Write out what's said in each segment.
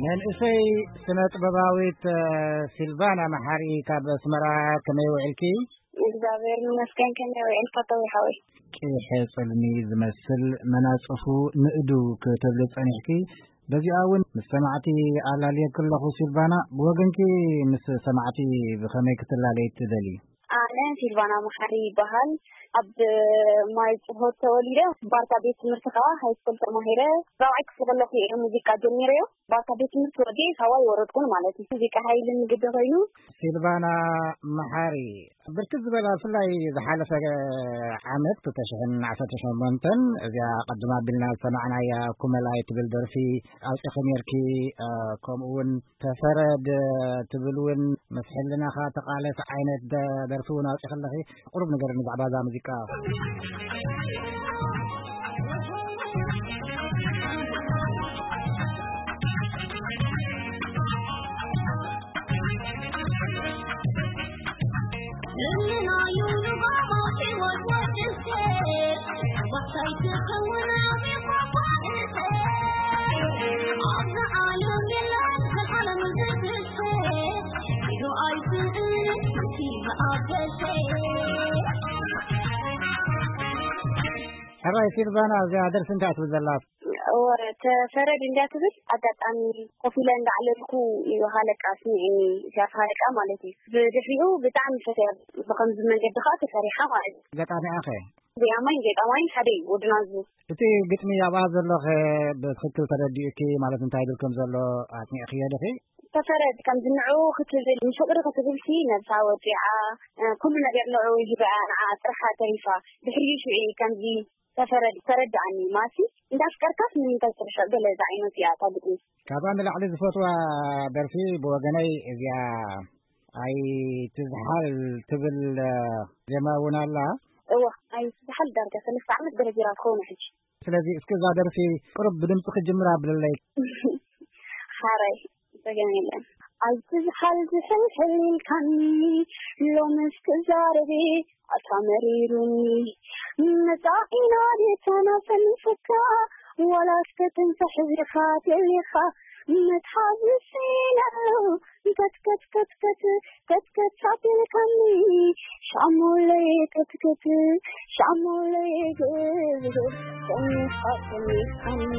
መንእሰይ ስነ ጥበባዊት፣ እ፣ ሲልቫና መሓሪ ካብ ኣስመራ፣ ከመይ ውዕልኪ? እግዚኣብሔር ይመስገን። ከመይ ውዕልካ ተዊሓወይ? ቂሐ ጽልሚ ዝመስል መናጽፉ ንእዱ ክትብሊ ጸኒሕኪ። በዚኣ እውን ምስ ሰማዕቲ ኣላልየኪ ኣለኹ። ሲልቫና፣ ብወገንኪ ምስ ሰማዕቲ ብኸመይ ክትላለይ ትደሊ? ኣነ ሲልቫና መሓሪ ይበሃል። ኣብ ማይ ጽሆት ተወሊደ፣ ባርካ ቤት ትምህርቲ ከኣ ሃይስኩል ተማሂረ። ራብዓይ ክፍሊ ከለኹ እየ ሙዚቃ ጀሚረዮ። ባርካ ቤት ትምህርቲ ወዲኤ ካባይ ወረድኩን ማለት እዩ። ሙዚቃ ሃይልን ግዲ ኮይኑ። ሲልቫና መሓሪ፣ ብርክት ዝበላ፣ ብፍላይ ዝሓለፈ ዓመት ክልተ ሽሕን ዓሰርተ ሸሞንተን፣ እዚኣ ቀድማ ኣቢልና ዝሰማዕናያ ኩመላይ ትብል ደርፊ ኣውጺኺ ነርኪ፣ እ፣ ከምኡ እውን ተፈረድ ትብል እውን ምስ ሕልናኻ ተቓለስ ዓይነት ደ-፣ ደርፊ እውን ኣውጺኺ ኣለኺ። ቁሩብ ንገርኒ ብዛዕባ እዛ ሙዚቃ። ሕራይ ሲልቫና፣ እዚኣ ደርፊ እንታይ ትብል ዘላ? እወ፣ ተፈረድ እንድያ ትብል። ኣጋጣሚ ኮፍ ኢለ እንዳዕለልኩ እዩ ሃለቃ ስሚዕኒ፣ እዚኣ ሃለቃ ማለት እዩ። ብድሕሪኡ ብጣዕሚ ፈትያ፣ ብኸምዚ መንገዲ ከዓ ተሰሪሓ ማለት እዩ። ገጣሚኣ ኸ? ዜማይን ገጣማይን ሓደ እዩ፣ ወዲ ናዙ። እቲ ግጥሚ ኣብኣ ዘሎ ኸ ብትኽክል ተረዲኡኪ? ማለት እንታይ ይብል ከም ዘሎ ኣጽኒዕክዮ ዲኺ? ተፈረድ ከም ዝንዑ ክትብል፣ ንፍቕሪ ክትብልሲ ነብሳ ወዲዓ፣ እ፣ ኩሉ ነገር ንዑ ሂባያ፣ ንዓ ጥርሓ ተሪፋ። ድሕሪኡ ሽዑ ከምዚ ተፈረድ፣ ተረድኣኒ፣ ማሲ እንዳፍቀርካስ ንምንታይ ትርሕቕ? ገለ ዝዓይነቱ እያ እታ ግጥሚ። ካብኣ ንላዕሊ ዝፈትዋ ደርፊ ብወገነይ እዚኣ ኣይትዝሓል ትብል፣ እ፣ ዜማ እውን ኣላ። እዋ፣ ኣይትዝሓል ዳርጋ ሰለስተ ዓመት ደረጅራ ትኸውን ሕጂ። ስለዚ እስኪ እዛ ደርፊ ቁሩብ ብድምፂ ክጅምራ ኣብለለይ። ሓራይ፣ ጸገም የለን። ኣይትዝሓል ዝሕልሕል ኢልካኒ፣ ሎምስ ክዛረብ ኣታ መሪሩኒ። መጻኢና ዴታና ሰኒፍካ፣ ዋላ እስከ ትንሳሕ ዚኻ ደሊኻ። መትሓዚ ስኢነ ኣለኹ፣ ከትከት ከትከት ከትከት ኣቢልካኒ። ሻሙለይ ከትከት፣ ሻሙለይ ገርገር፣ ሰኒኻ ሰኒኻኒ።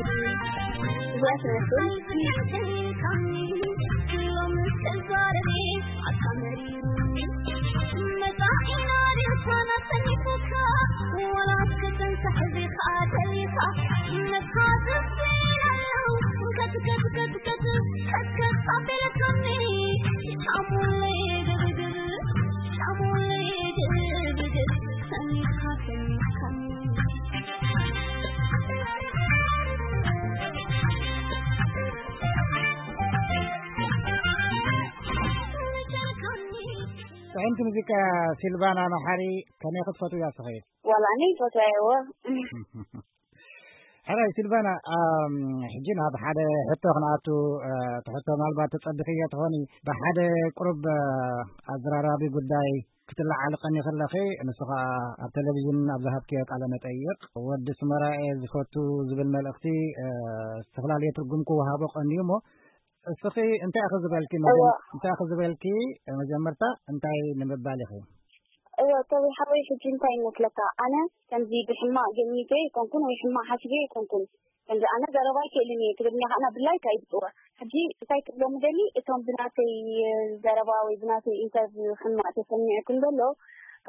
እዚኣ ትመስል። ጥዕምቲ ሙዚቃ። ሲልቫና መሓሪ፣ ከመይ ክትፈትውያ እስኺ? ዋላ ኣነ ይፈትዋ እየ። ሕራይ ሲልቫና፣ ኣም፣ ሕጂ ናብ ሓደ ሕቶ ክንኣቱ፣ እ፣ እቲ ሕቶ ምናልባት ተጸቢኽዮ ትኾኒ። ብሓደ ቁሩብ፣ እ፣ ኣዘራራቢ ጉዳይ ክትለዓሊ ቀኒኺ ኣለኺ። ንሱ ኸኣ ኣብ ቴሌቪዥን ኣብ ዝሃብክዮ ቃለ መጠይቕ፣ ወዲ ስመራ እየ ዝፈቱ ዝብል መልእኽቲ፣ እ፣ ዝተፈላለየ ትርጉም ክወሃቦ ቀንዩ እሞ፣ እስኺ እንታይ ኢኺ ዝበልኪ? እወ። መጀመ-፣ እንታይ ኢኺ ዝበልኪ? መጀመርታ እንታይ ንምባል ኢኺ? እወ፣ ተዊ ሓወይ፣ ሕጂ እንታይ ይመስለካ? ኣነ ከምዚ ብሕማቕ ገሚተ ኣይኮንኩን ወይ ሕማቕ ሓሲበ ኣይኮንኩን። ከምዚ ኣነ ዘረባ ኣይክእልን እየ፣ ትግርኛ ከኣ ብላይክ ኣይብጽዋ። ሕጂ እንታይ ክብሎም ደሊ፣ እቶም ብናተይ ዘረባ ወይ ብናተይ ኢንተርቪው ሕማቕ ተሰሚዑ ክንደሎ፣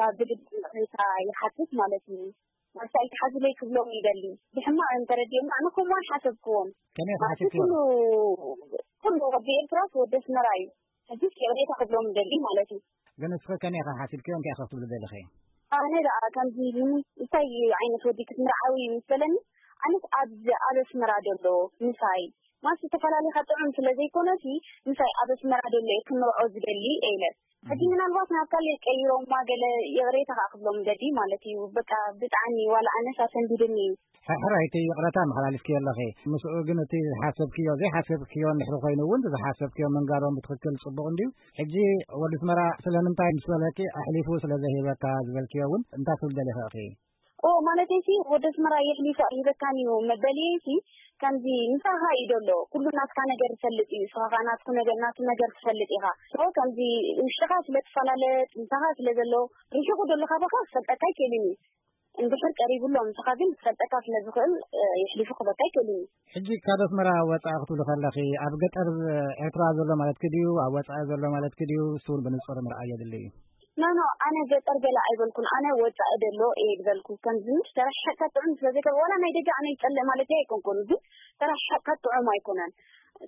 ካብ ብልቢ ይቕሬታ ይሓትት ማለት እዩ። ማስታ ኣይትሓዙለይ ክብሎም ይደሊ። ብሕማቕ እዮም ተረዲኦም፣ ኣነ ከምኡ ኣይሓሰብክዎን። ከመይ ማለት ሓሲብክዎ? ኩሉ፣ ኩሉ ወዲ ኤርትራስ ወዲ ኣስመራ እዩ። ሕጂስ ይቕሬታ ክብሎም ይደሊ ማለት እዩ። ግን እስኺ ከመይ ኢኺ ሓሲብክዮ? እንታይ ኢኺ ክትብሊ ደሊኺ? ኣነ ደኣ ከምዚ ንምንታይ ዓይነት ወዲ ክትምርዓዊ ምስ በለኒ፣ ኣነስ ኣብዚ ኣብ ኣስመራ ዘሎ ምሳይ ማስ ተፈላሊኻ ጥዑም ስለ ዘይኮነሲ ምሳይ ኣብ ኣስመራ ደሎ እየ ክንርዖ ዝደሊ ኢለ። ሕጂ ምናልባት ናብ ካልእ ቀይሮማ ገለ ይቕሬታ ከዓ ክብሎም ደሊ ማለት እዩ። በቃ ብጣዕሚ ዋላ ኣነስ ኣሰንቢድኒ እዩ። ሕራይቲ ይቕረታ መሓላሊፍክዮ ኣለኺ። ምስኡ ግን እቲ ዝሓሰብክዮ ዘይሓሰብክዮ እንድሕሪ ኮይኑ እውን ዝሓሰብክዮ ምንጋሮም ብትኽክል ጽቡቕ እንድዩ። ሕጂ ወዲ ኣስመራ ስለምንታይ ምስ በለኪ ኣሕሊፉ ስለ ዘይህበካ ዝበልክዮ እውን እንታይ ክብል ደሊኺ ኢኺ? ኦ ማለተይሲ ወዲ ኣስመራ የሕሊፉ ኣይህበካን እዩ መበልየይሲ ከምዚ ምሳኻ እዩ ደሎ። ኩሉ ናትካ ነገር ዝፈልጥ እዩ። ንስኻ ከዓ ናትኩ ነገር ናቱ ነገር ትፈልጥ ኢኻ። ሶ ከምዚ ውሽጥኻ ስለ ትፈላለጥ ምሳኻ ስለ ዘሎ ርሒቑ ደሎ ካባኻ ክፈልጠካ ኣይክእልን እዩ። እንድሕር ቀሪቡ ኣሎ ምሳኻ ግን ክፈልጠካ ስለ ዝኽእል የሕሊፉ ክህበካ ኣይክእልን እዩ። ሕጂ ካብ ኣስመራ ወጻኢ ክትብሊ ከለኺ ኣብ ገጠር ኤርትራ ዘሎ ማለትኪ ድዩ ኣብ ወጻኢ ዘሎ ማለትኪ ድዩ? እሱ እውን ብንጹር ምርኣይ የድሊ እዩ። ኖ ኖ ኣነ ገጠር ገለ ኣይበልኩን። ኣነ ወጻኢ ደሎ እየ ዝበልኩ። ከምዚ ተረሓሕካ ጥዑም ስለ ዘይኮነ ዋላ ናይ ደገ ኣነ ይጸልእ ማለት ኣይኮንኩን፣ ግን ተረሓሕካ ጥዑም ኣይኮነን።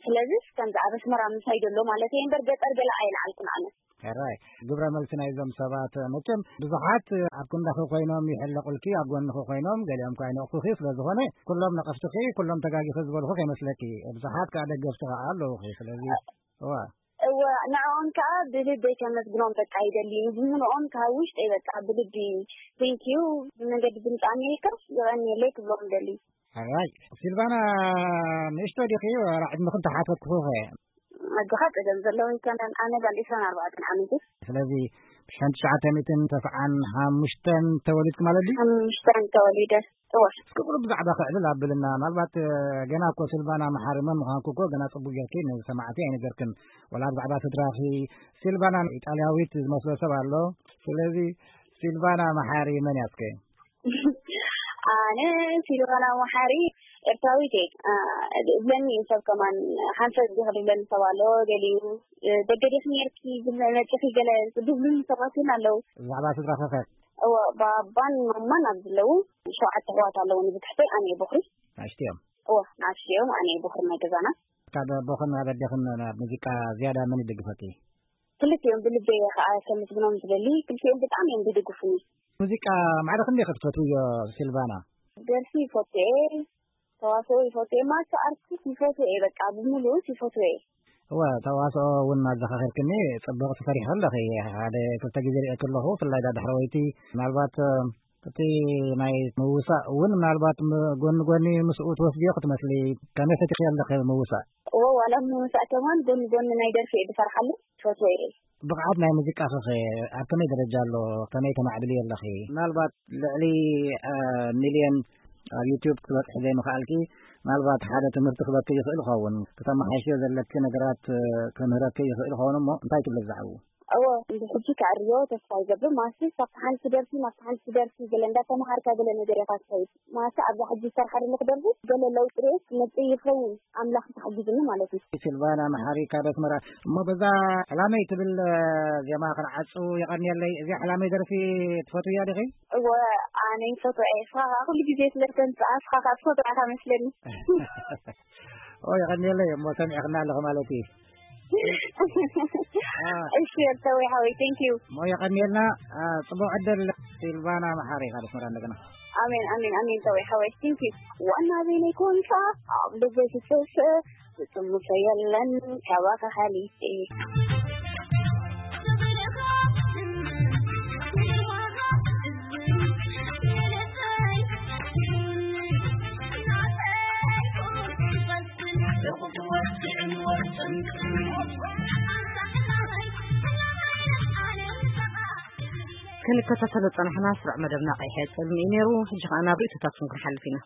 ስለዚ ከምዚ ኣብ ኣስመራ ምሳይ ደሎ ማለት እየ እምበር ገጠር ገለ ኣይልዓልኩን ኣነ። ሕራይ ግብረ መልሲ ናይዞም ሰባት መቸም ብዙሓት ኣብ ክንዳኺ ኮይኖም ይሕለቑልኪ፣ ኣብ ጎንኺ ኮይኖም ገሊኦም ከዓ ይነቕፉኺ። ስለ ዝኾነ ኩሎም ነቐፍትኺ ኩሎም ተጋጊኺ ዝበልኹ ከይመስለኪ፣ ብዙሓት ከዓ ደገፍቲ ከዓ ኣለዉኺ። ስለዚ እዋ እወ ንዕኦም ከዓ ብልበይ ከመስግኖም በቃ ይደሊ። ንዝምንኦም ካብ ውሽጠይ በቃ ብልቢ ቴንኪዩ ብመንገዲ ድምፂ ኣሜሪካ ይቐንየለይ ክብሎም ደሊ። ሕራይ ሲልቫና ንእሽቶ ዲኺ ዋላ ዕድመኽን ተሓተትኩኺ? ኣጆኻ ጸገም ዘለዎ ኣይኮነን። ኣነ ጓል ዕስራን ኣርባዕተን ዓመት እየ። ስለዚ ብሽሕን ትሽዓተ ሚእትን ተስዓን ሓሙሽተን ተወሊድኪ ማለት ድዩ? ሓሙሽተን ተወሊደ። እወ። እስኪ ቁሩብ ብዛዕባ ክዕልል ኣብልና። ምናልባት ገና እኮ ሲልቫና መሓሪ መን ምዃንኩ እኮ ገና ጽቡቅ ጌርኪ ንሰማዕቲ ኣይነገርክን። ወላ ብዛዕባ ስድራኺ፣ ሲልቫና ኢጣልያዊት ዝመስሎ ሰብ ኣሎ። ስለዚ ሲልቫና መሓሪ መን እያ እስከ? ኣነ ሲልቫና መሓሪ ኤርትራዊት እየ። አ፣ እብለኒ እዩ ሰብ ከማን ሓንፈት ዲኺ ዝብለኒ ሰብ ኣሎ። ገሊኡ፣ እ፣ ደገ ዲኺ ነርኪ፣ መጺኺ ገለ ዝብሉኒ ሰባት እውን ኣለዉ። ብዛዕባ ስድራኺ ኸ? እወ፣ ባባን ማማን ኣብ ዘለዉ ሸውዓተ ኣሕዋት ኣለዉኒ። ብትሕተይ ኣነ እየ ቦኽሪ። ንኣሽቱ እዮም? እወ፣ ንኣሽቱ እዮም። ኣነ እየ ቦኽሪ ናይ ገዛና። ካብ ኣቦኽን ካብ ኣዴኽን ናብ ሙዚቃ ዝያዳ መን ይድግፈኪ? ክልቲኦም ብልበይ እየ ኸዓ ከመስግኖም ዝደሊ። ክልቲኦም ብጣዕሚ እዮም ዝድግፉኒ። ሙዚቃ ማዕረ ክንደይ ኢኺ ትፈትውዮ ሲልቫና? ደርፊ ይፈቱ እየ፣ ተዋስኦ ይፈቱ እየ፣ ማልቲ ኣርቲስት ይፈቱ እየ። በቃ ብምሉኡስ ይፈቱ እየ። እወ፣ ተዋስኦ እውን ኣዘኻኺርክኒ፣ ጽቡቕ ትፈሪሒ ኣለኺ። ሓደ ክልተ ግዜ ርእየኪ ኣለኹ፣ ብፍላይ ዳ ዳሕረወይቲ። ምናልባት፣ እ፣ እቲ ናይ ምውሳእ እውን ምናልባት ም-፣ ጎኒ ጎኒ ምስኡ ትወስድዮ ክትመስሊ። ከመይ ፈቲኽዮ ኣለኺ ምውሳእ? እወ፣ ዋላ ምውሳእ ከማን ጎኒ ጎኒ ናይ ደርፊ እየ ዝሰርሓሉ፣ ትፈትዎ እየ። ብቕዓት ናይ ሙዚቃኺ ኸ ኣብ ከመይ ደረጃ ኣሎ? ከመይ ተማዕብልዮ ኣለኺ? ምናልባት ልዕሊ፣ እ፣ ሚልዮን ኣብ ዩቱብ ክትበጽሒ ዘይምኽኣልኪ፣ ምናልባት ሓደ ትምህርቲ ክበኪ ይኽእል ይኸውን። ክተመሓይሽዮ ዘለኪ ነገራት፣ እ፣ ክምህረኪ ይኽእል ይኸውን። እሞ እንታይ ትብሊ ብዛዕባኡ? እወ፣ እንድሕጂ ከዕርዮ ተስፋ ይገብር። ማሲ ካብቲ ሓንቲ ደርፊ ናብቲ ሓንቲ ደርፊ ገለ እንዳተምሃርካ ገለ ነገር ኢኻ ትኸይድ። ማሲ ኣብዛ ሕጂ ዝሰርሓ ዘለኹ ደርፊ ገለ ለውጢ ርእስ መጽእ ይኸውን። ኣምላኽ ተሓጊዝኒ ማለት እዩ። ሲልቫና መሓሪ ካብ ኣስመራ። እሞ በዛ ሕላመይ ትብል፣ እ፣ ዜማ ክንዓጹ የቐንየለይ። እዚኣ ሕላመይ ደርፊ ትፈትውያ ዲኺ? እወ፣ ኣነ ይፈትዋ እየ። እስኻ ኸዓ ኩሉ ግዜ ስለ ተምጽኣ፣ እስኻ ኸዓ ትፈትዋ ኢኻ መስለኒ። ኦ፣ የቐንየለይ። እሞ ሰሚዕኽና ኣለኹ ማለት እዩ። አ። እሺ፣ ኤርትራዊ ሓወይ፣ thank you። እሞ የቐንየልና። አ፣ ጽቡቕ ዕድል። ሲልቫና መሓሪ ካብ ኣስመራ እንደገና። ኣሜን፣ ኣሜን፣ ኣሜን፣ ተወይ ሓወይ፣ thank you። ዋና በይነይ ኮንካ ኣብ ልበይ ትሰሰ፣ ዝጥምቶ የለን ካባኻ ሓሊፈ። ክንከታተሎ ጸናሕና ስሩዕ መደብና ቀይሐ ጸልሚ እዩ ነይሩ። ሕጂ ከኣ ናብ ርእይቶታትኩም ክንሓልፍ ኢና።